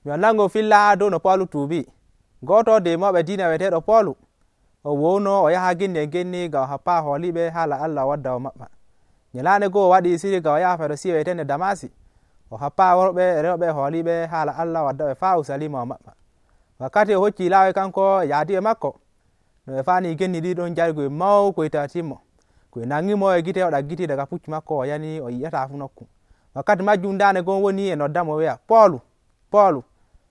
mi nango filla dow no Paulu tuubi. Goto nder mawɓe diina weeteeɗo Paulu o wowno o yaha genni ngam o happa hooliɓe haala Allah o wadda o maɓɓa. Nyalaande goo o waɗi siri ngam o yaha Farisiyo weeteende Damasi o happa worɓe e rewɓe hooliɓe haala Allah o wadda ɓe faa Urusalima o maɓɓa. Wakkati o hocci laawi kanko e yaadiɓe makko no ɓe faani genni ɗi ɗon jargoy mawkoy tawatinmo koy nangimo e gite o ɗaggiti daga puccu makko o yani o yi'ataa fu nokku. Wakkati majjum ndaande gon woni e noddamo wi'a Poolu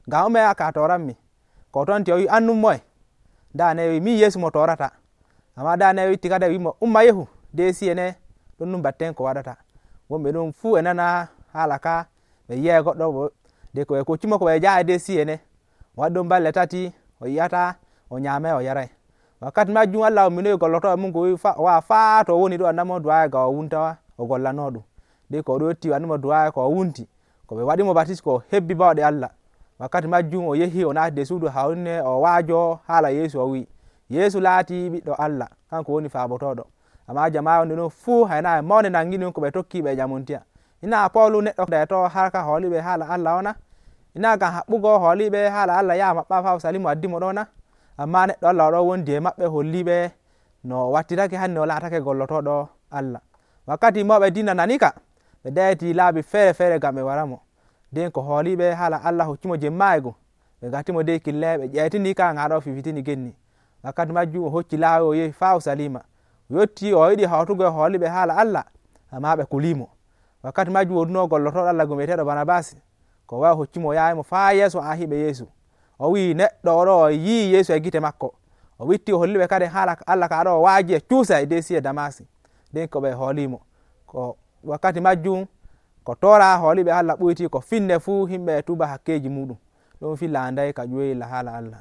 ngam ume aka toranmi ko tonti o wi annum moye. Ndaane wi min Yeesu mo torata. Amma ndaane witti kadi wimo umma yehu deesi ene ɗon ɗum batten ko waɗata. Wonɓe ɗum fuu e nana haala ka ɓe yi'ay goɗɗo de ko ɓe koccimo ko ɓe njaha deesi ene o waɗi ɗon balɗe 3 o yi'ata o nyaamay o yaray. Wakkati majjum Allah umminoyi gollotooɓe mum ko wi o wa'a faa to o woni ɗo annamo du'aayi ngam o wunta o gollano ɗum. De ko o ɗo yotti annimo du'aayi ko o wunti ko ɓe waɗimo batis ko o hebbi bawɗe Allah. Wakkati majjum o yehi o naati nder suudu hawrine o waajo haala Yeesu o wi Yeesu laati ɓiɗɗo Allah kanko woni faabotoɗo. Amma jama'are wonde ɗon fuu hayna e mawne nangini ko ɓe tokki ɓe ƴamontiya. Ina Paulu neɗɗo deeto harka hooliɓe haala Allah ona? Ina ngam haɓɓugo hooliɓe haala Allah yaha maɓɓa faa Urusalima waddimo ɗona? Amma neɗɗo Allah oɗo wondi e maɓɓe holliɓe no o wattirake hanne o laatake gollotoɗo Allah. Wakkati mawɓe diina nani ka ɓe dayiti laabi feere ngam ɓe waramo. nden ko hooliɓe haala Allah hokkimo jemmaayego ɓe gatimo dey kille ɓe ƴeytini ka ngam haɗa o fifitini genni. Wakkati majjum o hocci laawi o yehi faa Urusalima o yotti o yiɗi hawtugo e hooliɓe haala Allah amma ɓe kulimo. Wakkati majjum woduno gollotoɗo Allah mo wi'eteeɗo Barnabas ko wawi hoccimo o yahimo faa yeeso arhiɓe Yeesu o wi neɗɗo oɗo o yii Yeesu e gite makko o witti o holliɓe kadi haala Allah ka ɗo o waaji e cuusa e deesi e Damasi nden ko ɓe hoolimo. Ko wakkati majjum ko tora hooliɓe Allah ɓuyti ko finne fuu himɓe tuuba hakkeji muɗum ɗum filla anday ka ƴoyilla haala Allah.